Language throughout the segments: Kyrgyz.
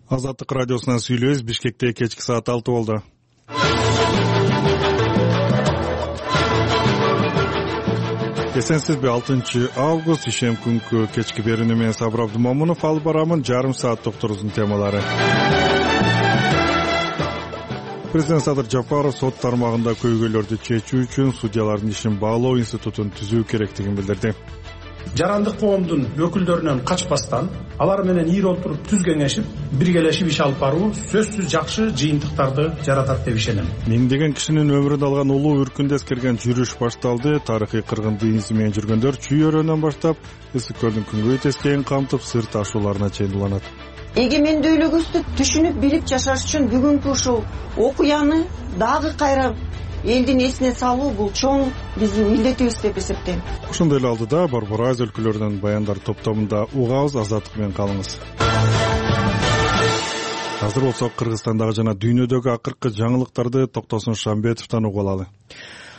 Азаттык радиосунан сүйлөбүз. Бишкекте кечки саат 6 болду. Эсенсизби? 6-август ишем күнкү кечки берүүнү менен Сабыр Абдымомунов алып барамын. Жарым саат докторубуздун темалары. Президент Садыр Жапаров сот тармагында көйгөйлөрдү чечүү үчүн судьялардын ишин баалоо институтун түзүү керектигин билдирди. Жарандык коомдун өкүлдөрүнөн качпастан, алар менен ийри отуруп түз кеңешип, биргелешип иш алып баруу сөзсүз жакшы жыйынтыктарды жаратат деп ишенем. Миңдеген кишинин өмүрүн алган улуу үркүндө эскерген жүрүш башталды. Тарыхый кыргынды изи менен жүргөндөр Чүй-өрөөнөн баштап Ысык көлдүн күнгөй тескейин камтып сыр ташууларына чейин уланат. Эгемендүүлүгүбүздү түшүнүп билип жашаш үчүн бүгүнкү ушул окуяны дагы кайра элдин эсине салуу бул чоң биздин милдетибиз деп эсептейм. Ошондой эле алдыда Борбор Азия өлкөлөрүнүн баяндар топтомунда угабыз. Азаттык менен калыңыз. Азыр болсо Кыргызстандагы жана дүйнөдөгү акыркы жаңылыктарды Токтосун Шамбетовдон угуп алалы.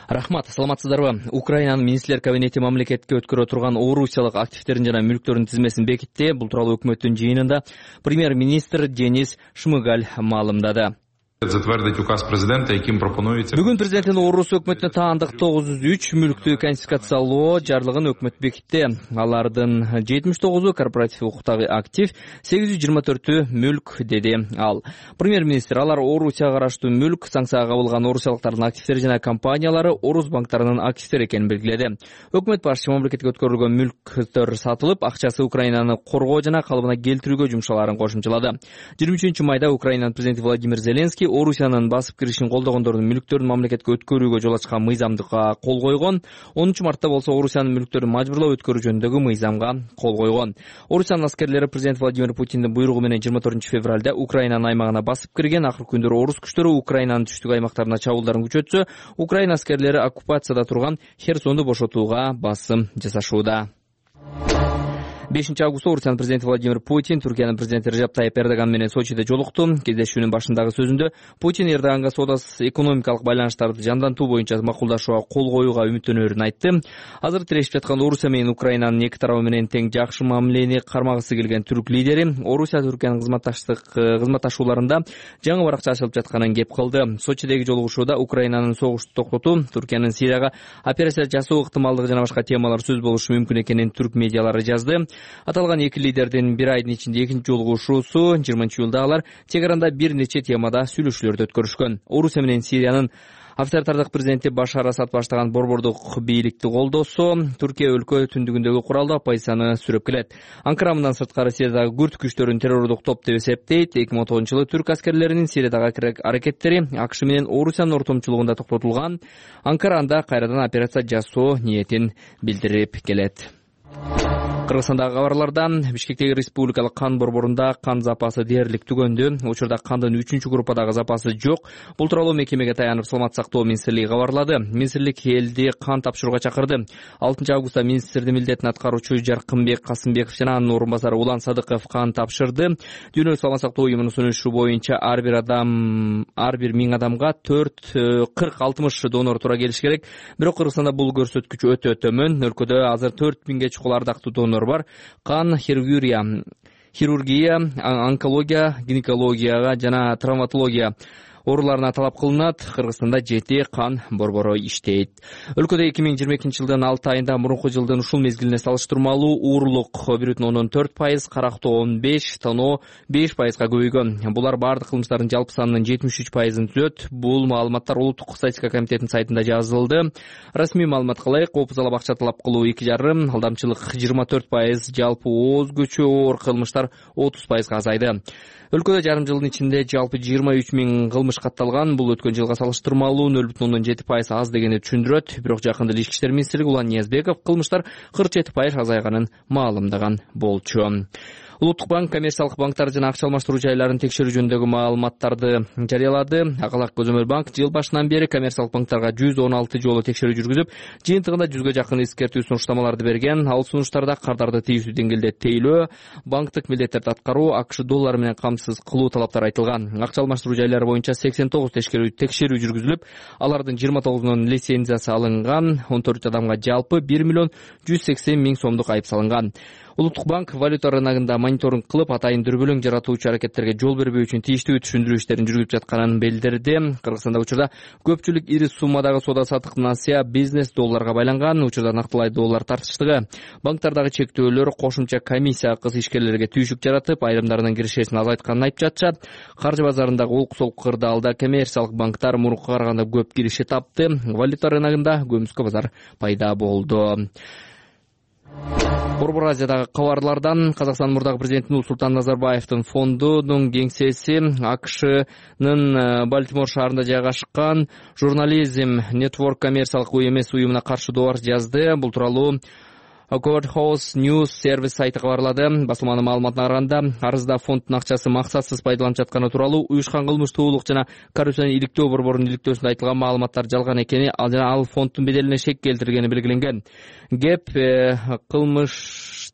Рахмат, саламатсыздарбы? Украинанын министрлер кабинети мамлекетке өткөрө турган орусиялык активдердин жана мүлктөрдүн тизмесин бекитти. Бул тууралуу өкмөттүн жыйынында премьер-министр Денис Шмыгаль маалымдады. Бүгүн президенттин орусу өкмөтүнө таандык 903 мүлктү конфискациялоо жарлыгын өкмөт бекитти. Алардын 79-у корпоратив укуктагы актив, 824-ü мүлк, деди ал. Премьер-министр алар Орусияга караштуу мүлк, санкцияга кабылган орусиялыктардын активдери жана компаниялары орус банктарынын активдери экенин белгиледи. Өкмөт башчы мамлекетке өткөрүлгөн мүлктөр сатылып, акчасы Украинаны коргоо жана калыбына келтирүүгө жумшалаарын кошумчалады. 23-майда Украинанын президенти Владимир Зеленский Орусиянын басып киришин колдогондордун мүлктөрүн мамлекетке өткөрүүгө жол ачкан мыйзамдыкка кол койгон. 10-мартта болсо Орусиянын мүлктөрүн мажбурлап өткөрүү жөнүндөгү мыйзамга кол койгон. Орусиянын аскерлери президент Владимир Путиндин буйругу менен 24-февралда Украинанын аймагына басып кирген. Акыркы күндөрү орус күчтөрү Украинанын түштүк аймактарына чабуулдарын күчөтсө, Украина аскерлери оккупацияда турган Херсонду бошотууга басым жасашууда. 5-августта Орусиянын президенти Владимир Путин Түркиянын президенти Режеп Тайип Эрдоган менен Сочиде жолукту. Кездешүүнүн башындагы сөзүндө Путин Эрдоганга соода экономикалык байланыштарды жандантуу боюнча макулдашууга кол коюуга үмүттөнөрүн айтты. Азыр тирешип жаткан Орусия менен Украинанын эки тарабы менен тең жакшы мамилени кармагысы келген түрк лидери Орусия Түркиянын кызматташууларында жаңы баракча ачылып жатканын кеп кылды. Сочидеги жолугушууда Украинанын согушту токтотуу, Түркиянын Сирияга операция жасоо ыктымалдыгы жана башка темалар сөз болушу мүмкүн экенин түрк медиалары жазды. Аталган эки лидердин бир айдын ичинде экинчи жолугушуусу 20-июлда алар Тегеранда бир нече темада сүйлөшүүлөрдү өткөрүшкөн. Орусия менен Сириянын авторитардык президенти Башар Асад баштаган борбордук бийликти колдосо, Түркия өлкө түндүгүндөгү куралдуу оппозицияны сүрөп келет. Анкара мындан сырткары Сириядагы күрд күчтөрүн террордук топ деп эсептейт. 2009-жылы түрк аскерлеринин Сириядагы аракеттери АКШ менен Орусиянын ортомчулугунда токтотулган. Анкара анда кайрадан операция жасоо ниетин билдирип келет. Кыргызстандагы кабарлардан Бишкектеги республикалык кан борборунда кан запасы дээрлик түгөндү. Учурда кандын 3-группадагы запасы жок. Бул тууралуу мекемеге таянып Саламаттык сактоо министрлиги кабарлады. Министрлик элди кан тапшырууга чакырды. 6-августта министрдин милдетин аткаруучу Жаркынбек Касымбеков жана анын орун басары Улан Садыков кан тапшырды. Дүйнөлүк саламаттык сактоо уюмунун сунушу боюнча ар бир 1000 адамга 40-60 донор туура келиш керек. Бирок Кыргызстанда бул көрсөткүч өтө төмөн. Өлкөдө азыр 4000ге чукул ардактуу донор бар. Кан хирургия, онкология, гинекологияга жана травматология ооруларына талап кылынат. Кыргызстанда 7 кан борбору иштейт. Өлкөдө 2022-жылдын 6 айында мурунку жылдын ушул мезгилине салыштырмалуу уурлук 1,4%, карактоо 15%, тоноо 5%га көбөйгөн. Булар бардык кылмыштардын жалпы санынын 73%-ын түзөт. Бул маалыматтар Улуттук статистика комитетинин сайтында жазылды. Расмий маалыматка ылайык, копузалап акча талап кылуу 2,5%, алдамчылык 24%, жалпы ооз-көчү оор кылмыштар 30%га азайды. Өлкөдө жарым жылдын ичинде жалпы 23 000 кылмыш катталган. Бул өткөн жылга салыштырмалуу 0,7% аз дегенди түшүндүрөт. Бирок жакында Ички иштер министри Улан Ниязбеков кылмыштар 47% азайганын маалымдаган болчу. Улуттук банк коммерциялык банктар жана акча алмаштыруу жайларын текшерүү жөнүндөгү маалыматтарды жарыялады. Акалак Көзөмөл банк жыл башынан бери коммерциялык банктарга 116 жолу текшерүү жүргүзүп, жыйынтыгында 100га жакын эскертүү сунуштамаларды берген. Ал сунуштарда кардарды тийүүсүз деңгээлде тейлөө, банктык милдеттерди аткаруу, АКШ доллары менен камсыз кылуу талаптары айтылган. Акча алмаштыруу жайлары боюнча 89 текшерүү жүргүзүлүп, алардын 29-унун лицензиясы алынган. 14 адамга жалпы 1 180 000 сомдук айып салынган. Улуттук банк валюта рыногунда мониторинг кылып, атайын дүрбөлөң жаратуучу аракеттерге жол бербөө үчүн тийиштүү түшүндүрүү иштерин жүргүзүп жатканын билдирди. Кыргызстанда учурда көпчүлүк ири суммадагы соода-саттык насыя бизнес долларга байланган. Учурда нактылай доллар тартыштыгы. Банктардагы чектөөлөр кошумча комиссия акысы ишкерлерге түйшүк жаратып, айрымдарынын киришесин азайтканын айтып жатышат. Каржы базарындагы олку-солку кырдаалда коммерциялык банктар мурункуга караганда көп киреше тапты. Валюта рыногунда көмүскө базар пайда болду. Борбор Азиядагы кабарлардан Казакстан мурдагы президенти Нурсултан Назарбаевдин фондунун кеңсеси АКШнын Балтимор шаарында жайгашкан журнализм Network коммерциялык эмес уюмуна каршы добар жазды. Бул тууралуу Courthouse News сервис сайты кабарлады. Басылманын маалыматына караганда, арызда фонддун акчасы максатсыз пайдаланып жатканы тууралуу уюшкан кылмыштуулук жана коррупцияны иликтөө борборунун иликтөөсүндө айтылган маалыматтар жалган экени, ал фонддун беделине шек келтиргени белгиленген. ГЭП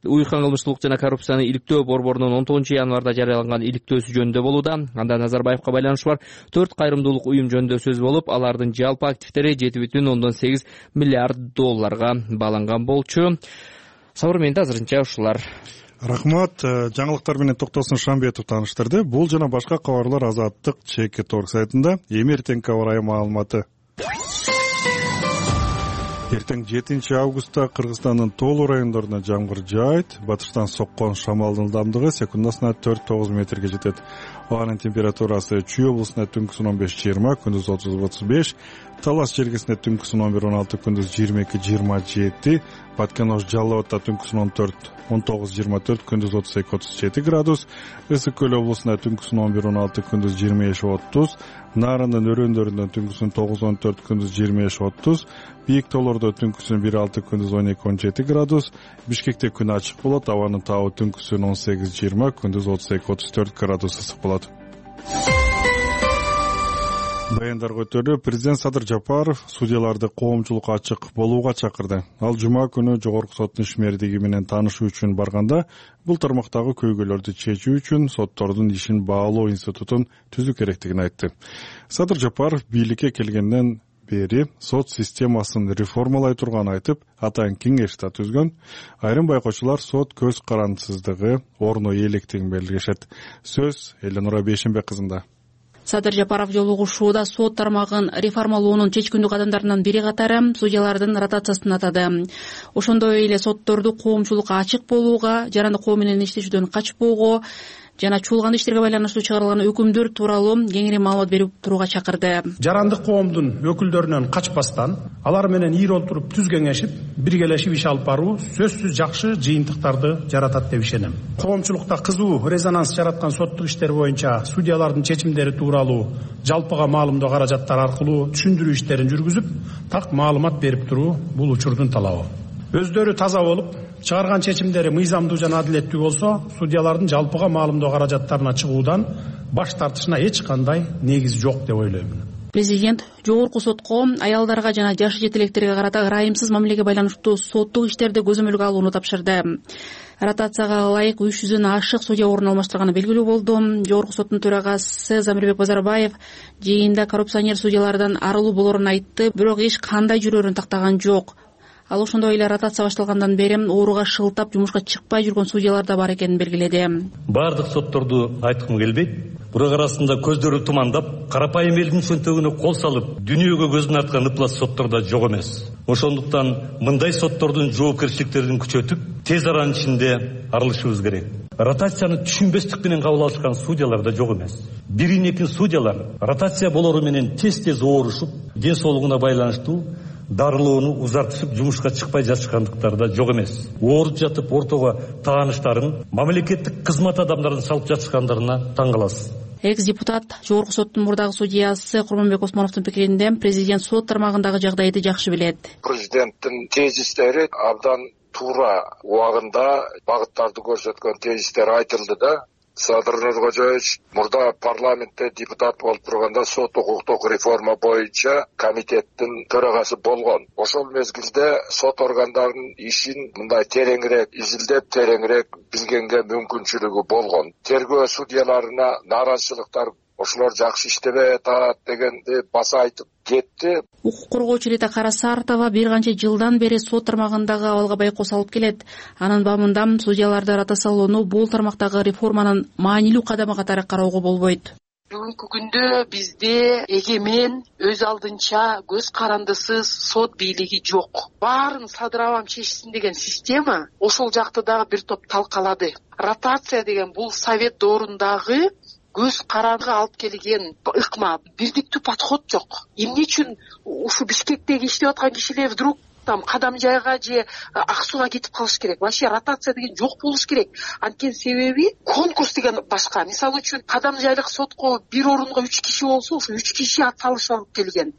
уюшкан кылмыштуулук жана коррупцияны иликтөө борборунун 19-январда жарыяланган иликтөөсү жөнүндө болууда. Анда Назарбаевка байланышы бар 4 кайрымдуулук уюм жөнүндө сөз болуп, алардын жалпы активдери 7,8 миллиард долларга бааланган болчу. Сабыр азырынча ушулар. Рахмат. Жаңылыктар менен Токтосун Шамбетов тааныштырды. Бул жана башка кабарлар Азаттык ЧК.org сайтында. Эми эртең кабар айы маалыматы. Эртең 7 августта Кыргызстандын тоолуу райондоруна жамгыр жаайт. Батыштан соккон шамалдын ылдамдыгы секундасына 4-9 метрге жетет. Абанын температурасы Чүй облусунда түнкүсүн 15-20, күндүз 30-35, Талас жергесинде түнкүсүн 11-16, күндүз 22-27, Баткен-Ош Жалал Абадта түнкүсүн 19-24, күндүз 32-37 градус, Ысык Көл облусунда түнкүсүн 11-16, күндүз 25-30, Нарындын өрөөндөрүндө түнкүсүн 9-14, күндүз 25-30, Бийик тоолордо түнкүсүн 1-6, күндүз 12-17 градус, Бишкекте күн ачык болот, абанын табы түнкүсүн 18-20, күндүз 32-34 градус ысык болот. Баяндар көтөрүлүп, президент Садыр Жапаров судьяларды коомчулукка ачык болууга чакырды. Ал жума күнү жогорку соттун ишмердиги менен таанышуу үчүн барганда, бул тармактагы көйгөйлөрдү чечүү үчүн соттордун ишин баалоо институтун түзүү керектигин айтты. Садыр Жапаров бийликке келгенден бери сот системасын реформалай турганын айтып, атайын кеңеш да түзгөн. Айрым байкоочулар сот көз карандысыздыгы орну электигин белгилешет. Сөз Эленора Бейшенбек кызында. Садыр Жапаров жолугушууда сот тармагын реформалоонун чечкиндүү кадамдарынын бири катары судьялардын ротациясын атады. Ошондой эле сотторду коомчулукка ачык болууга, жарандык коо менен иштешүүдөн качпоого жана чуулган иштерге байланыштуу чыгарылган өкүмдөр тууралуу кеңири маалымат берип турууга чакырды. Жарандык коомдун өкүлдөрүнөн качпастан, алар менен ийри олтуруп түз кеңешип, биргелешип иш алып баруу сөзсүз жакшы жыйынтыктарды жаратат деп ишенем. Коомчулукта кызуу резонанс жараткан соттук иштер боюнча судьялардын чечимдери тууралуу жалпыга маалымдоо каражаттары аркылуу түшүндүрүү иштерин жүргүзүп, так маалымат берип туруу бул учурдун талабы. Өздөрү таза болуп, чыгарган чечимдери мыйзамдуу жана адилеттүү болсо, судьялардын жалпыга маалымдоо каражаттарына чыгуудан баш тартышына эч кандай негиз жок деп ойлоймун. Президент жогорку сотко аялдарга жана жаш жетелектерге карата ырайымсыз мамилеге байланыштуу соттук иштерди көзөмөлгө алууну тапшырды. Ротацияга ылайык 300дөн ашык судья орун алмаштырганы белгилүү болду. Жогорку соттун төрагасы Замирбек Базарбаев жыйында коррупционер судьялардан арылуу болорун айтты, бирок эч кандай жүрөрүн тактаган жок. Ал ошондой эле ротация башталгандан бери ооруга шылтап жумушка чыкпай жүргөн судьялар да бар экенин белгиледи. Бардык сотторду айткым келбейт. Бирок арасында көздөрү тумандап, карапайым элдин чөнтөгүнө кол салып, дүйнөгө көзүн арткан ыплас соттор да жок эмес. Ошондуктан мындай соттордун жоопкерчиликтерин күчөтүп, тез аранын ичинде арылышыбыз керек. Ротацияны түшүнбестик менен кабыл алышкан судьялар да жок эмес. Бирин-экин судьялар ротация болору менен тез-тез оорушуп, ден соолугуна байланыштуу дарылоону узартышып, жумушка чыкпай жатышкандыктары да жок эмес. Ооруп жатып ортого тааныштарын, мамлекеттик кызмат адамдарын салып жатышкандарына таң каласыз. Экс-депутат жогорку соттун мурдагы судьясы Курманбек Осмоновдун пикиринде президент сот тармагындагы жагдайды жакшы билет. Президенттин тезистери абдан туура убагында багыттарды көрсөткөн тезистер айтылды да. Садыр Нуркожоевич мурда парламентте депутат болуп турганда сот укуктук реформа боюнча комитеттин төрагасы болгон. Ошол мезгилде сот органдарынын ишин мындай тереңирээк изилдеп, тереңирээк билгенге мүмкүнчүлүгү болгон. Тергөө судьяларына нааразычылыктар ошолор жакшы иштебей атат дегенди баса айтып кетти. Укук коргоочу Рита Карасартова бир канча жылдан бери сот тармагындагы абалга байкоо салып келет. Анын бабында судьяларды ротациялоону бул тармактагы реформанын маанилүү кадамы катары кароого болбойт. Бүгүнкү күндө бизде эгемен, өз алдынча, көз карандысыз сот бийлиги жок. Баарын Садыр абам чечсин деген система ошол жакты дагы бир топ талкалады. Ротация деген бул совет доорундагы көз карандыга алып келген ыкма, бирдиктүү подход жок. Эмне үчүн ушу Бишкектеги иштеп аткан кишилер вдруг там Кадам жайга же Ак Сууга кетип калыш керек? Вообще ротация деген жок болуш керек. Анткени себеби конкурс деген башка. Мисалы үчүн Кадам жайлык сотко бир орунга 3 киши болсо, ошо 3 киши ат салышып келген.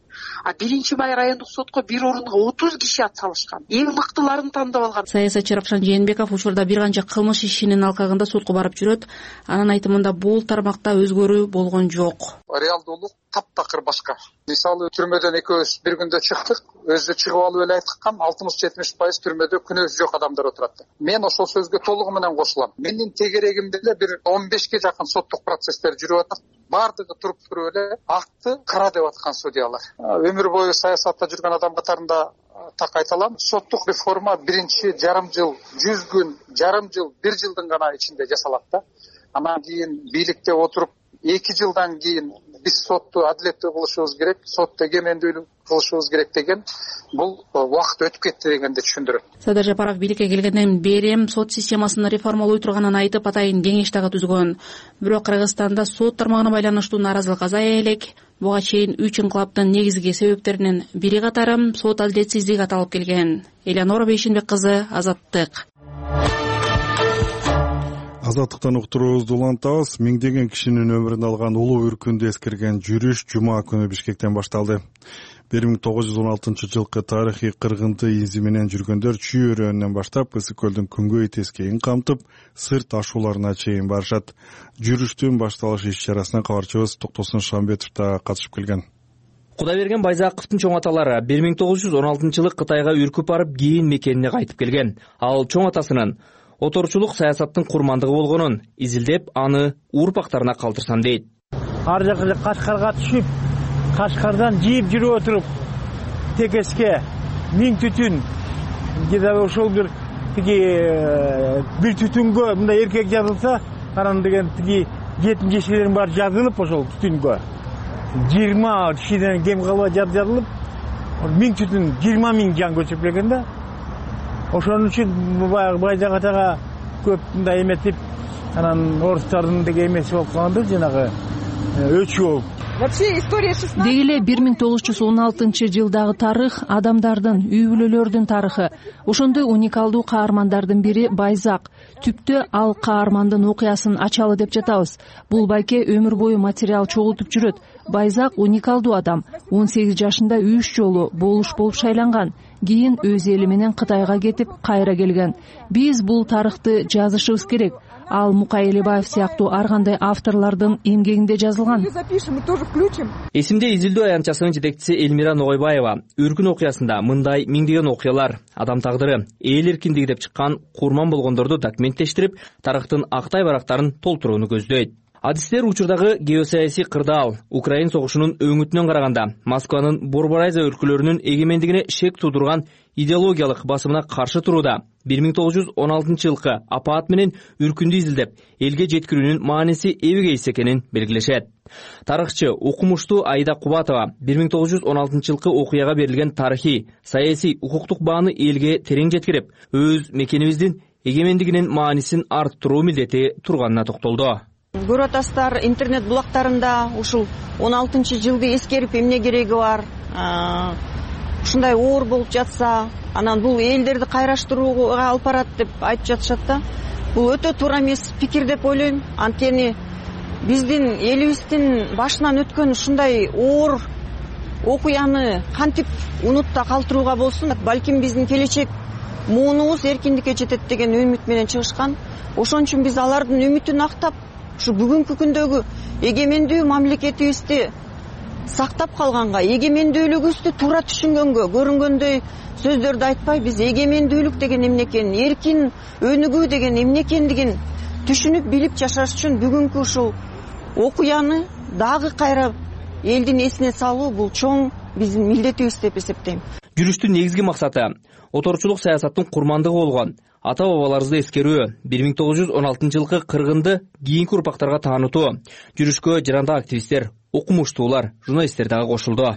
А 1-Май райондук сотко бир орунга 30 киши ат салышкан. Эң мыктыларын тандап алган. Саясатчы Равшан Жээнбеков учурда бир канча кылмыш ишинин алкагында сотко барып жүрөт. Анын айтымында бул тармакта өзгөрүү болгон жок. Реалдуулук таптакыр башка. Мисалы түрмөдөн экөөбүз бир күндө чыктык, өзү чыгып алып эле айткан 60-70% түрмөдө күнөөсү жок адамдар отурат. Мен ошол сөзгө толугу менен кошулам. Менин тегерегимде эле бир 15ге жакын соттук процесстер жүрүп атат. Бардыгы туруп эле акты кыра деп аткан судьялар. Өмүр бою саясатта жүргөн адам катарында так айта алам. Соттук реформа биринчи жарым жыл, 100 күн, жарым жыл, 1 жылдын гана ичинде жасалат да. Анан кийин бийликте отуруп 2 жылдан кийин биз сотту адилеттүү кылышыбыз керек, сотто эгемендүүлүк кылышыбыз керек деген бул убакыт өтүп кетти дегенди түшүндүрөт. Садыр Жапаров бийликке келгенден бери сот системасын реформалоо турганын айтып, атайын кеңеш дагы түзгөн. Бирок Кыргызстанда сот тармагына байланыштуу нааразылык азая элек. Буга чейин 3 инкылаптын негизги себептеринин бири катары сот адилетсиздиги аталып келген. Элеонора Бейшенбек кызы, Азаттык. Азаттыктан уктуруубузду улантабыз. Миңдеген кишинин өмүрүн алган улуу үркүндү эскерген жүрүш жума күнү Бишкектен башталды. 1916 жылкы тарыхый кыргынды изи менен жүргөндөр Чүй өрөөнүнөн баштап Ысык көлдүн күнгөй тескейин камтып, сырт ашууларына чейин барышат. Жүрүштүн башталыш иш-чарасына кабарчыбыз Токтосун Шамбетов да катышып келген. Кудайберген Байзаковдун чоң аталары 1916 жылы Кытайга үркүп барып, кийин мекенине кайтып келген. Ал чоң атасынын оторчулук саясаттын курмандыгы болгонун изилдеп, аны урпактарына калтырсам дейт. Ар жакка Кашкарга түшүп, Кашкардан жийип жүрүп отуруп, Текеске 1000 түтүн, жада ошол бир түтүнгө мындай эркек жазылса, анан деген жетим жешелердин баары жазылып ошол түтүнгө 20 кишиден кем калбай жазылып, 1000 түтүн 20 000 жан көчүп келген да. Ошон үчүн баягы Байзак атага көп мындай эметип, анан орустардын деге эмеси болуп калганда жанагы өчү болуп. Деги эле 1916 жылдагы тарых адамдардын, үй бүлөлөрдүн тарыхы. Ошондой уникалдуу каармандардын бири Байзак. Түптө ал каармандын окуясын ачалы деп жатабыз. Бул байке өмүр бою материал чогултуп жүрөт. Байзак уникалдуу адам. 18 жашында 3 жолу болуш болуп шайланган. Кийин өз эли менен Кытайга кетип, кайра келген. Биз бул тарыхты жазышыбыз керек. Ал Мукай Элебаев сыяктуу ар кандай авторлордун эмгегинде жазылган. Эсимде изилдөө аянтчасынын жетекчиси Элмира Ногойбаева үркүн окуясында мындай миңдеген окуялар, адам тагдыры, эл эркиндиги деп чыккан курман болгондорду документтештирип, тарыхтын актай барактарын толтурууну көздөйт. Адистер учурдагы геосаясий кырдаал, Украин согушунун өңүтүнөн караганда Москванын Борборайза өлкөлөрүнүн эгемендигине шек туудурган идеологиялык басымына каршы турууда 1916 жылкы апаат менен үркүндү изилдеп, элге жеткирүүнүн мааниси эбегейс экенин белгилешет. Тарыхчы, укмуштуу Айда Кубатова 1916 жылкы окуяга берилген тарыхый, саясий, укуктук бааны элге терең жеткирип, өз мекенибиздин эгемендигинин маанисин арттыруу милдети турганына токтолду. Көрүп атасыздар, интернет булактарында ушул 16 жылды эскерип эмне кереги бар? Ушундай оор болуп жатса, анан бул элдерди кайраштырууга алып барат деп айтып жатышат да. Бул өтө туура эмес пикир деп ойлойм. Анткени биздин элибиздин башынан өткөн ушундай оор окуяны кантип унутта калтырууга болсун? Балким биздин келечек муунубуз эркиндикке жетет деген үмүт менен чыгышкан. Ошон үчүн биз алардын үмүтүн актап, ушу бүгүнкү күндөгү эгемендүү мамлекетибизди сактап калганга, эгемендүүлүгүбүздү туура түшүнгөнгө, көрүнгөндөй сөздөрдү айтпай, биз эгемендүүлүк деген эмне экенин, эркин өнүгүү деген эмне экендигин түшүнүп билип жашаш үчүн бүгүнкү ушул окуяны дагы кайра элдин эсине салуу бул чоң биздин милдетибиз деп эсептейм. Жүрүштүн негизги максаты оторчулук саясаттын курмандыгы болгон ата бабаларыбызды эскерүү, 1916 жылкы кыргынды кийинки урпактарга таанытуу. Жүрүшкө жарандык активисттер, окумуштуулар, журналисттер дагы кошулду.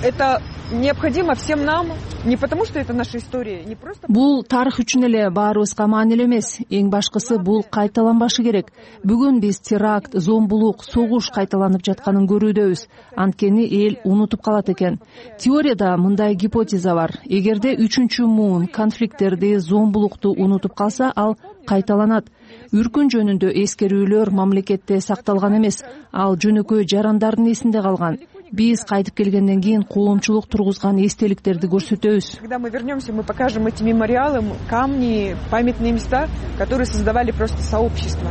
Это необходимо всем нам, не потому что это наша история, не просто. Бул тарых үчүн эле баарыбызга маанилүү эмес. Эң башкысы бул кайталанбашы керек. Бүгүн биз теракт, зомбулук, согуш кайталанып жатканын көрүүдөбүз. Анткени эл унутуп калат экен. Теорияда мындай гипотеза бар. Эгерде 3-муун конфликттерди, зомбулукту унутуп калса, ал кайталанат. Үркүн жөнүндө эскерүүлөр мамлекетте сакталган эмес. Ал жөнөкөй жарандардын эсинде калган. Биз кайтып келгенден кийин коомчулук тургузган эстеликтерди көрсөтөбүз. Когда мы вернемся, мы покажем эти мемориалы, камни, памятные места, которые создавали просто сообщество.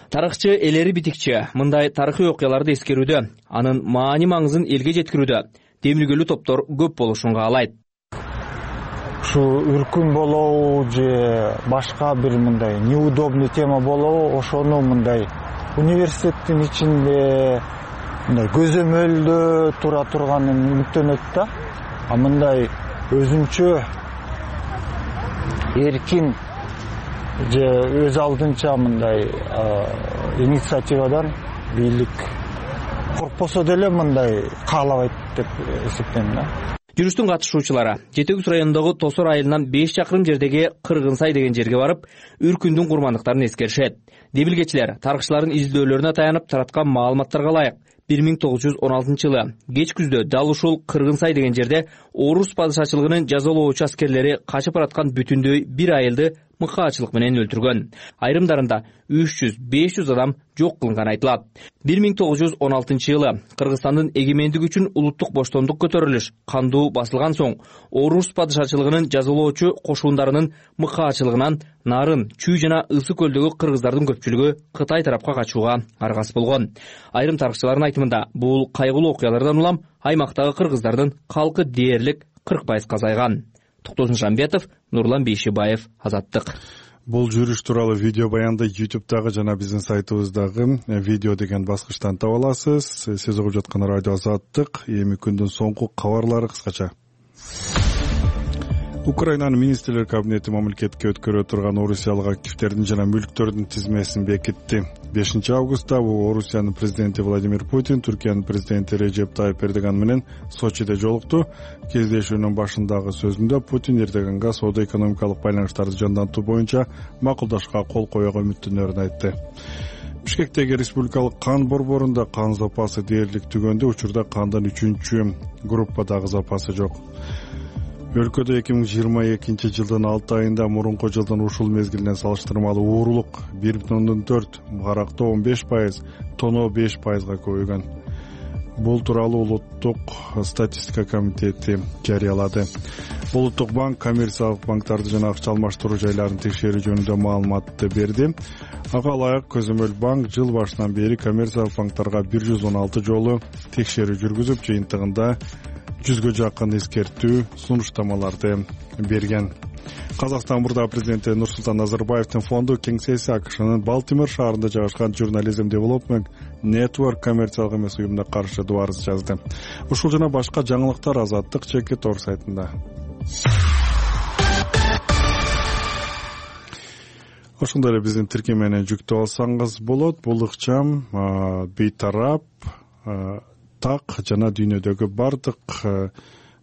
Тарыхчы Элери Битикчи мындай тарыхый окуяларды эскерүүдө, анын маани-маңызын элге жеткирүүдө демилгелүү топтор көп болушун каалайт. Ушу үркүн болобу же башка бир мындай неудобный тема болобу, ошону мындай университеттин ичинде мындай көзөмөлдө тура турганын үмүттөнөт да. А мындай өзүнчө эркин же өз алдынча мындай инициативадан бийлик коркпосо деле мындай каалабайт деп эсептейм да. Жүрүштүн катышуучулары Жети Күз районундагы Тосор айылынан 5 чакырым жердеги Кыргынсай деген жерге барып, үркүндүн курмандыктарын эскеришет. Демилгечилер тарыхчылардын изилдөөлөрүнө таянып тараткан маалыматтарга ылайык 1916 жылы кеч күздө дал ушул Кыргынсай деген жерде орус падышачылыгынын жазалоочу аскерлери качып бараткан бүтүндөй бир айылды мыкаачылык менен өлтүргөн. Айрымдарында 300-500 адам жок кылынганы айтылат. 1916 жылы Кыргызстандын эгемендиги үчүн улуттук боштондук көтөрүлүш кандуу басылган соң орус падышачылыгынын жазалоочу кошундарынын мыкаачылыгынан Нарын, Чүй жана Ысы көлдөгү кыргыздардын көпчүлүгү Кытай тарапка качууга аргас болгон. Айрым тарыхчылардын айтымында бул кайгылуу окуялардан улам аймактагы кыргыздардын калкы дээрлик 40% азайган. Токтосун Жамбетов, Нурлан Бейшибаев, Азаттык. Бул жүрүш тууралуу видео баянды YouTube'дагы жана биздин сайтыбыздагы видео деген баскычтан таба аласыз. Сиз угуп жаткан радио Азаттык. Эми күндүн соңку кабарлары кыскача. Украинанын министрлер кабинети мамлекетке өткөрө турган орусиялык активдердин жана мүлктөрдүн тизмесин бекитти. 5 августта Орусиянын президенти Владимир Путин Түркиянын президенти Режеп Тайып Эрдоган менен Сочиде жолукту. Кездешүүнүн башындагы сөзүндө Путин Эрдоганга соода-экономикалык байланыштарды жандантуу боюнча макулдашка кол коюуга үмүттөнөрүн айтты. Бишкектеги республикалык кан борборунда кан запасы дээрлик түгөндө, учурда кандын 3-чү группадагы запасы жок. Өлкөдө 2022 жылдын 6 айында мурунку жылдын ушул мезгилинен салыштырмалуу уурулук 1,4, карактоо 15%, тоноо 5%га көбөйгөн. Бул тууралуу Улуттук статистика комитети жарыялады. Улуттук банк коммерциялык банктарды жана акча алмаштыруу жайларын текшерүү жөнүндө маалыматты берди. Ага ылайык көзөмөл банк жыл башынан бери коммерциялык банктарга 116 жолу текшерүү жүргүзүп, жыйынтыгында 100гө жакын эскертүү сунуштамаларды берген. Казакстан мурда президенти Нурсултан Назарбаевдин фонду кеңсеси АКШнын Балтимор шаарында жайгашкан Journalism Development Network коммерциялык эмес уюмуна каршы арыз жазды. Ушул жана башка жаңылыктар Азаттык ЧК сайтында. Ошондой эле биздин тиркемени жүктөп алсаңыз болот. Бул ыкчам бейтарап так жана дүйнөдөгү бардык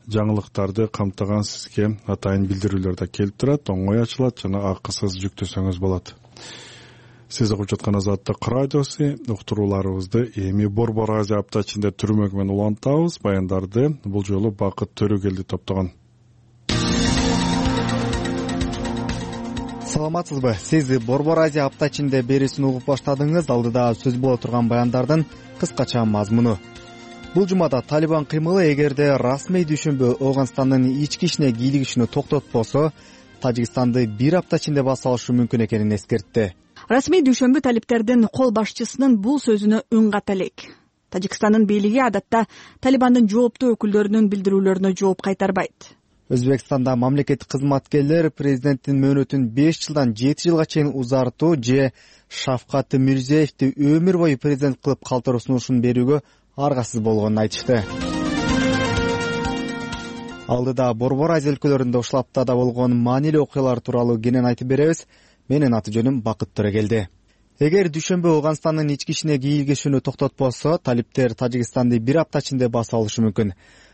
жаңылыктарды камтыган сизге атайын билдирүүлөр да келип турат, оңой ачылат жана акысыз жүктөсөңүз болот. Сиз угуп жаткан Азаттык радиосу, уктурууларыбызды эми Борбор Азия апта ичинде түрмөк менен улантабыз. Баяндарды бул жолу Бакыт Төрөгелди топтогон. Саламатсызбы? Сиз Борбор Азия апта ичинде берүүсүн угуп баштадыңыз. Алдыда сөз боло турган баяндардын кыскача мазмуну. Бул жумада Талибан кыймылы эгерде расмий түшүнбө Ооганстандын ички ишине кийлигишүүнү токтотпосо, Тажикстанды бир апта ичинде баса алышы мүмкүн экенин эскертти. Расмий дүшөмбү талиптердин кол башчысынын бул сөзүнө үн ката элек. Тажикстандын бийлиги адатта Талибандын жооптуу өкүлдөрүнүн билдирүүлөрүнө жооп кайтарбайт. Өзбекстанда мамлекеттик кызматкерлер президенттин мөөнөтүн 5 жылдан 7 жылга чейин узартуу же Шавкат Мирзиеевди өмүр бою президент кылып калтыруу сунушун берүүгө аргасыз болгонун айтышты. Алдыда Борбор Азия өлкөлөрүндө ушул аптада болгон маанилүү окуялар тууралуу кенен айтып беребиз. Менин аты жөнүм Бакыт Төрөгелди. Эгер дүйшөмбү Ооганстандын ички ишине кийлигишүүнү токтотпосо, талиптер Тажикстанды бир апта ичинде басып алышы мүмкүн.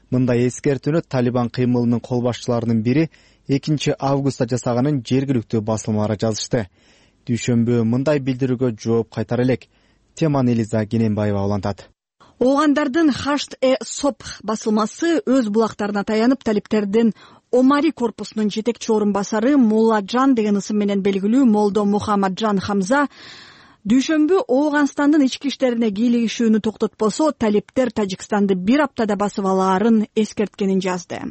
Мындай эскертүүнү Талибан кыймылынын кол башчыларынын бири 2 августта жасаганын жергиликтүү басылмалары жазышты. Дүйшөмбү мындай билдирүүгө жооп кайтара элек. Теманы Элиза Кененбаева улантат. Оогандардын Хашт-э-Сопх басылмасы өз булактарына таянып, талиптердин Омари корпусунун жетекчи орун басары Мулладжан деген ысым менен белгилүү Молдо Мухаммаджан Хамза дүйшөмбү Ооганстандын ички иштерине кийлигишүүнү токтотпосо, талиптер Тажикстанды бир аптада басып алаарын эскерткенин жазды.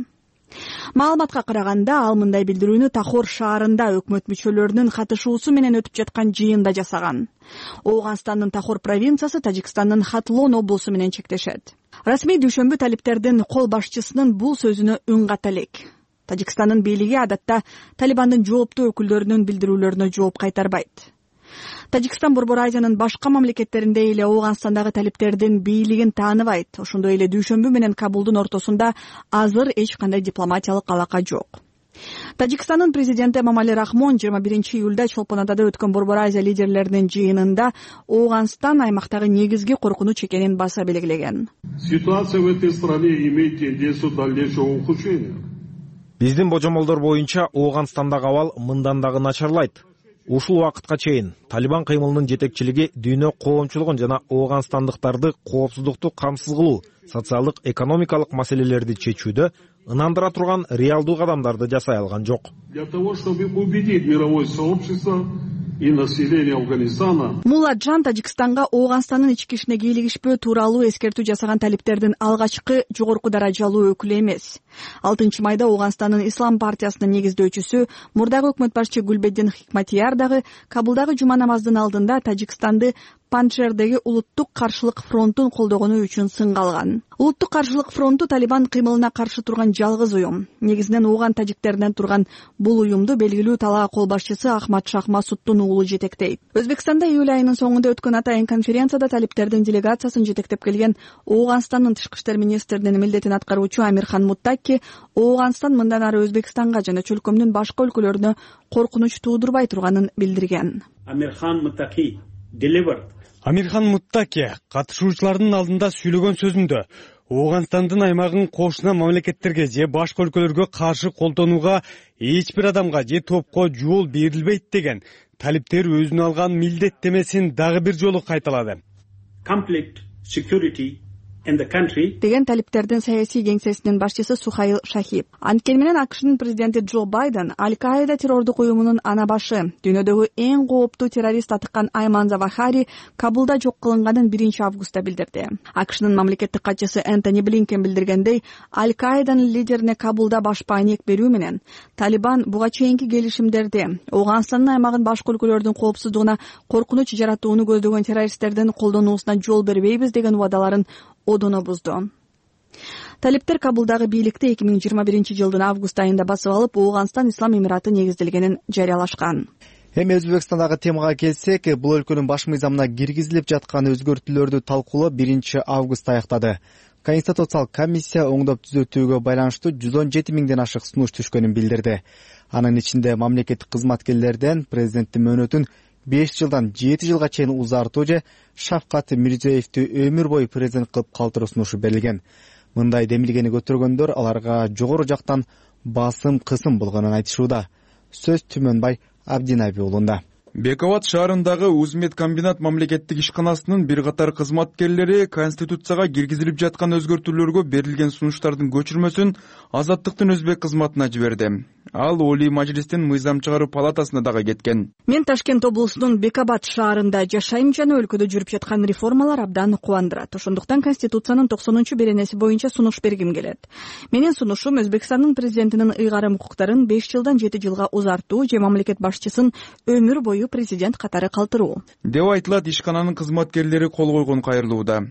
Маалыматка караганда, ал мындай билдирүүнү Тахор шаарында өкмөт мүчөлөрүнүн катышуусу менен өтүп жаткан жыйында жасаган. Ооганстандын Тахор провинциясы Тажикстандын Хатлон облусу менен чектешет. Расмий дүйшөмбү талиптердин кол башчысынын бул сөзүнө үн ката элек. Тажикстандын бийлиги адатта Талибандын жооптуу өкүлдөрүнүн билдирүүлөрүнө жооп кайтарбайт. Тажикстан Борбор Азиянын башка мамлекеттеринде эле Ооганстандагы талиптердин бийлигин тааныбайт. Ошондой эле дүйшөмбү менен Кабулдун ортосунда азыр эч кандай дипломатиялык алака жок. Тажикстандын президенти Эмомали Рахмон 21-июлда Чолпон Атада өткөн Борбор Азия лидерлеринин жыйынында Ооганстан аймактагы негизги коркунуч экенин баса белгилеген. Ситуация в этой стране имеет тенденцию дальнейшего ухудшения. Биздин божомолдор боюнча Ооганстандагы абал мындан дагы начарлайт. Ушул убакытка чейин Талибан кыймылынын жетекчилиги дүйнө коомчулугун жана ооганстандыктарды коопсуздукту камсыз кылуу, социалдык экономикалык маселелерди чечүүдө ынандыра турган реалдуу кадамдарды жасай алган жок. Для того, чтобы убедить мировое сообщество и население Афганистана. Мулладжан Тажикстанга Ооганстандын ички ишине кийлигишпөө тууралуу эскертүү жасаган талиптердин алгачкы жогорку даражалуу өкүлү эмес. 6 майда Ооганстандын Ислам партиясынын негиздөөчүсү, мурдагы өкмөт башчы Гүлбеддин Хикматияр дагы Кабулдагы жума намазынын алдында Тажикстанды Панчшердеги улуттук каршылык фронтун колдогону үчүн сынга алган. Улуттук каршылык фронту Талибан кыймылына каршы турган жалгыз уюм. Негизинен ооган тажиктеринен турган бул уюмду белгилүү талаа кол башчысы Ахмад Шах Масуддун уулу жетектейт. Өзбекстанда июль айынын соңунда өткөн атайын конференцияда талиптердин делегациясын жетектеп келген Ооганстандын тышкы иштер министринин милдетин аткаруучу Амирхан Муттаки Ооганстан мындан ары Өзбекстанга жана чөлкөмдүн башка өлкөлөрүнө коркунуч туудурбай турганын билдирген. Амирхан Муттаки катышуучулардын алдында сүйлөгөн сөзүндө Ооганстандын аймагын кошуна мамлекеттерге же башка өлкөлөргө каршы колдонууга эч бир адамга же топко жол берилбейт деген талиптер өзүнө алган милдеттемесин дагы бир жолу кайталады. Деген талиптердин саясий кеңсесинин башчысы Сухаил Шахиб. Анткени менен АКШнын президенти Джо Байден Аль-Каида террордук уюмунун ана башы, дүйнөдөгү эң кооптуу террорист атыккан Айман Завахари Кабулда жок кылынганын 1 августта билдирди. АКШнын мамлекеттик катчысы Энтони Блинкен билдиргендей, Аль-Каиданын лидерине Кабулда баш пайнек берүү менен Талибан буга чейинки келишимдерди Ооганстандын аймагын башка өлкөлөрдүн коопсуздугуна коркунуч жаратууну көздөгөн террористтердин колдонуусуна жол бербейбиз деген убадаларын одоно бузду. Талиптер Кабулдагы бийликти 2021-жылдын август айында басып алып, Ооганстан Ислам Эмираты негизделгенин жарыялашкан. Эми Өзбекстандагы темага келсек, бул өлкөнүн баш мыйзамына киргизилип жаткан өзгөртүүлөрдү талкуулоо 1 августта аяктады. Конституциялык комиссия оңдоп түзөтүүгө байланыштуу 117 миңден ашык сунуш түшкөнүн билдирди. Анын ичинде мамлекеттик кызматкерлерден президенттин мөөнөтүн 5 жылдан 7 жылга чейин узартуу же Шавкат Мирзиеевди өмүр бою президент кылып калтыруу сунушу берилген. Мындай демилгени көтөргөндөр аларга жогору жактан басым кысым болгонун айтышууда. Сөз Түмөнбай Абдинаби уулунда. Бековат шаарындагы Узмед комбинат мамлекеттик ишканасынын бир катар кызматкерлери Конституцияга киргизилип жаткан өзгөртүүлөргө берилген сунуштардын көчүрмөсүн Азаттыктын өзбек кызматына жиберди. Ал Олий Мажлистин мыйзам чыгаруу палатасына дагы кеткен. Мен Ташкент облусунун Бекабат шаарында жашайм жана өлкөдө жүрүп жаткан реформалар абдан кубандырат. Ошондуктан Конституциянын 90-беренеси боюнча сунуш бергим келет. Менин сунушум Өзбекстандын президентинин ыйгарым укуктарын 5 жылдан 7 жылга узартуу же мамлекет башчысын өмүр бою президент катары калтыруу. Деп айтылат ишкананын кызматкерлери кол койгон кайрылууда.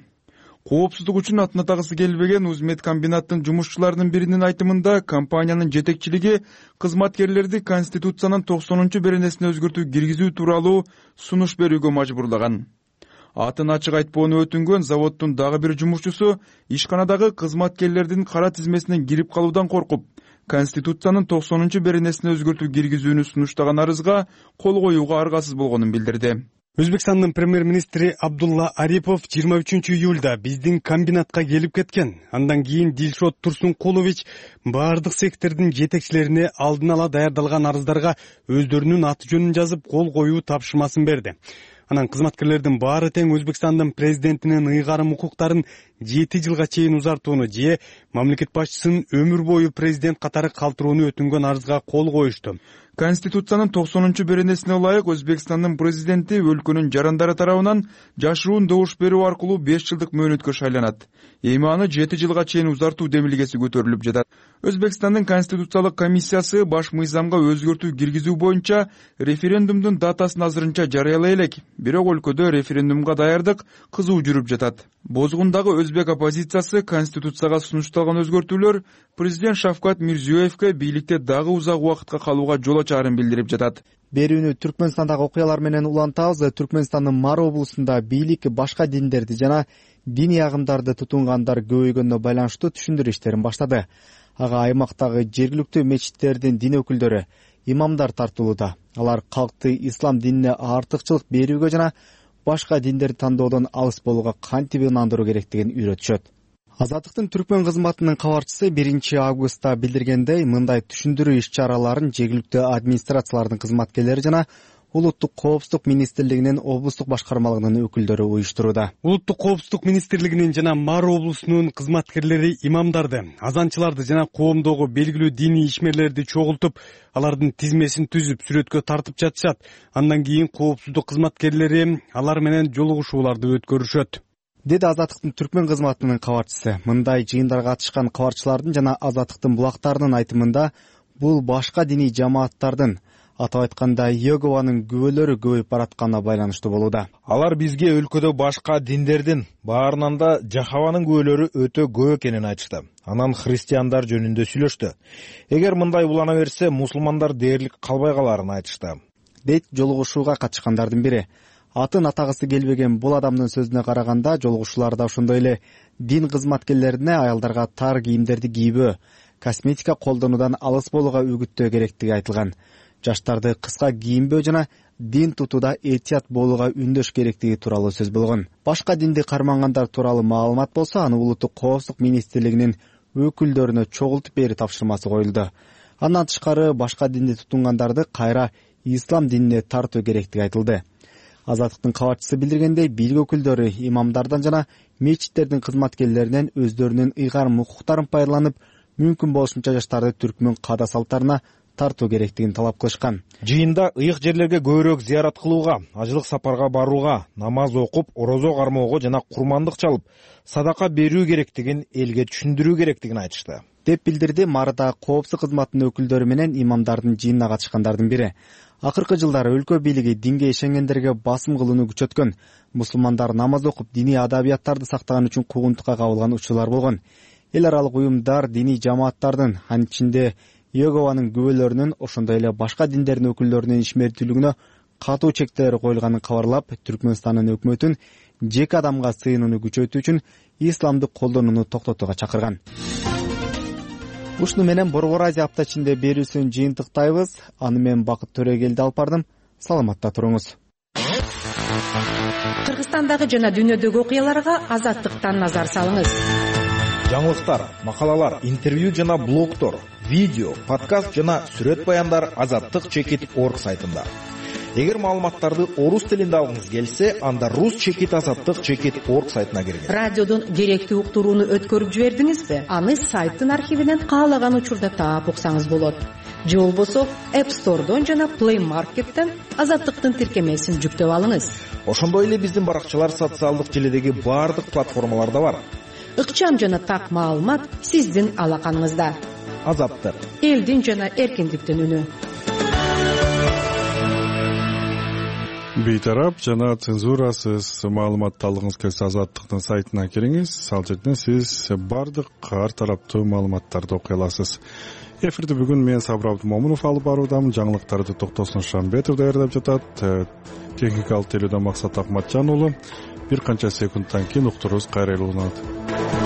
Коопсуздук үчүн атын атагысы келбеген Узмедкомбинаттын жумушчуларынын биринин айтымында компаниянын жетекчилиги кызматкерлерди Конституциянын 90-беренесине өзгөртүү киргизүү тууралуу сунуш берүүгө мажбурлаган. Атын ачык айтпоону өтүнгөн заводдун дагы бир жумушчусу ишканадагы кызматкерлердин кара тизмесине кирип калуудан коркуп, Конституциянын 90-беренесине өзгөртүү киргизүүнү сунуштаган арызга кол коюуга аргасыз болгонун билдирди. Өзбекстандын премьер-министри Абдулла Арипов 23-июлда биздин комбинатка келип кеткен. Андан кийин Дилшот Турсункулович баардык сектордун жетекчилерине алдын ала даярдалган арыздарга өздөрүнүн аты жөнүн жазып кол коюу тапшырмасын берди. Анан кызматкерлердин баары тең Өзбекстандын президентинин ыйгарым укуктарын 7 жылга чейин узартууну же мамлекет башчысын өмүр бою президент катары калтырууну өтүнгөн арызга кол коюшту. Конституциянын 90-беренесине ылайык Өзбекстандын президенти өлкөнүн жарандары тарабынан жашыруун добуш берүү аркылуу 5 жылдык мөөнөткө шайланат. Эми аны 7 жылга чейин узартуу демилгеси көтөрүлүп жатат. Өзбекстандын Конституциялык комиссиясы баш мыйзамга өзгөртүү киргизүү боюнча референдумдун датасын азырынча жарыялай элек, бирок өлкөдө референдумга даярдык кызуу жүрүп жатат. Бозгундагы өзбек оппозициясы Конституцияга сунушталган өзгөртүүлөр президент Шавкат Мирзиёевке бийликте дагы узак убакытка калууга жол ачаарын билдирип жатат. Берүүнү Түркмөнстандагы окуялар менен улантабыз. Түркмөнстандын Мар облусунда бийлик башка диндерди жана диний агымдарды тутунгандар көбөйгөнүнө байланыштуу түшүндүрүү иштерин баштады. Ага аймактагы жергиликтүү мечиттердин дин өкүлдөрү, имамдар тартуулууда. Алар калкты ислам динине артыкчылык берүүгө жана башка диндерди тандоодон алыс болууга кантип ынандыруу керектигин үйрөтүшөт. Азаттыктын Түркмөн кызматынын кабарчысы 1 августта билдиргендей, мындай түшүндүрүү иш-чараларын жергиликтүү администрациялардын кызматкерлери жана Улуттук коопсуздук министрлигинин облустук башкармалыгынын өкүлдөрү уюштурууда. Улуттук коопсуздук министрлигинин жана Мар облусунун кызматкерлери имамдарды, азанчыларды жана коомдогу белгилүү диний ишмерлерди чогултуп, алардын тизмесин түзүп, сүрөткө тартып жатышат. Андан кийин коопсуздук кызматкерлери алар менен жолугушууларды өткөрүшөт, деди Азаттыктын Түркмөн кызматынын кабарчысы. Мындай жыйындарга катышкан кабарчылардын жана Азаттыктын булактарынын айтымында, бул башка диний жамааттардын, атап айтканда Йегованын күбөлөрү көбөйүп баратканына байланыштуу болууда. Алар бизге өлкөдө башка диндердин, баарынан да Жахаванын күбөлөрү өтө көп экенин айтышты. Анан христиандар жөнүндө сүйлөштү. Эгер мындай улана берсе, мусулмандар дээрлик калбай каларын айтышты, дейт жолугушууга катышкандардын бири. Атын атагысы келбеген бул адамдын сөзүнө караганда, жолугушууларда ошондой эле дин кызматкерлерине аялдарга тар кийимдерди кийбөө, косметика колдонуудан алыс болууга үгүттөө керектиги айтылган. Жаштарды кыска кийинбөө жана дин тутууда этият болууга үндөш керектиги тууралуу сөз болгон. Башка динди кармангандар тууралуу маалымат болсо, аны Улуттук коопсуздук министрлигинин өкүлдөрүнө чогултуп берүү тапшырмасы коюлду. Андан тышкары башка динди тутунгандарды кайра ислам динине тартуу керектиги айтылды. Азаттыктын кабарчысы билдиргендей, бийлик өкүлдөрү имамдардан жана мечиттердин кызматкерлеринен өздөрүнүн ыйгарым укуктарын пайдаланып, мүмкүн болушунча жаштарды түркмөн каада салттарына тартуу керектигин талап кылышкан. Жыйында ыйык жерлерге көбүрөөк зыярат кылууга, ажылык сапарга барууга, намаз окуп, орозо кармоого жана курмандык чалып, садака берүү керектигин элге түшүндүрүү керектигин айтышты, деп билдирди Марда коопсуздук кызматынын өкүлдөрү менен имамдардын жыйынына катышкандардын бири. Акыркы жылдары өлкө бийлиги динге ишенгендерге басым кылууну күчөткөн. Мусулмандар намаз окуп, диний адабияттарды сактаган үчүн куугунтукка кабылган учурлар болгон. Эл аралык уюмдар диний жамааттардын, анын ичинде Йегованын күбөлөрүнүн, ошондой эле башка диндердин өкүлдөрүнүн ишмердүүлүгүнө катуу чектелер коюлганын кабарлап, Түркмөнстандын өкмөтүн жеке адамга сыйынууну күчөтүү үчүн исламды колдонууну токтотууга чакырган. Ушуну менен Борбор Азия апта ичинде берүүсүн жыйынтыктайбыз. Аны мен Бакыт Төрөгелди алып бардым. Саламатта туруңуз. Кыргызстандагы жана дүйнөдөгү окуяларга Азаттыктан назар салыңыз. Жаңылыктар, макалалар, интервью жана блогтор, видео, подкаст жана сүрөт баяндар azattik.org сайтында. Эгер маалыматтарды орус тилинде алгыңыз келсе, анда rus.azattik.org сайтына киргиз. Радиодон керектүү уктурууну өткөрүп жибердиңизби? Аны сайттын архивинен каалаган учурда таап уксаңыз болот. Же болбосо App Store'дон жана Play Market'тен Азаттыктын тиркемесин жүктөп алыңыз. Ошондой эле биздин баракчалар социалдык желедеги баардык платформаларда бар. Ыкчам жана так маалымат сиздин алаканыңызда. Азаттык, элдин жана эркиндиктин үнү. бейтарап жана цензурасыз маалыматты алгыңыз келсе Азаттыктын сайтына кириңиз. Ал жерден сиз бардык ар тараптуу маалыматтарды окуй аласыз. Эфирди бүгүн мен Сабыр Абдымомунов алып баруудамын. Жаңылыктарды Токтосун Шамбетов даярдап жатат. Техникалык тейлөөдөн Максат Акматжан уулу. Бир канча секундтан кийин уктуруубуз кайра уланат.